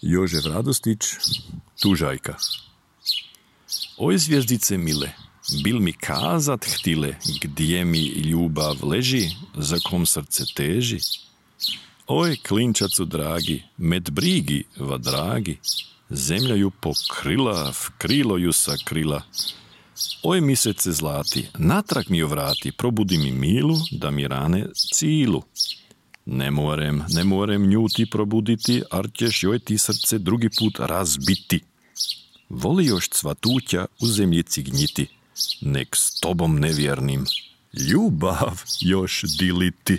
Jožef Radostić, Tužajka. Oj zvijezdice mile, bil mi kazat htile, gdje mi ljubav leži, za kom srce teži? Oj klinčacu dragi, med brigi va dragi, zemlja ju pokrila, v krilo ju sakrila. Oj misece zlati, natrag mi ju vrati, probudi mi milu, da mi rane cilu. Ne morem nju ti probuditi, ar ćeš joj ti srce drugi put razbiti. Voli još cvatuća u zemljici gnjiti, nek s tobom nevjernim ljubav još diliti.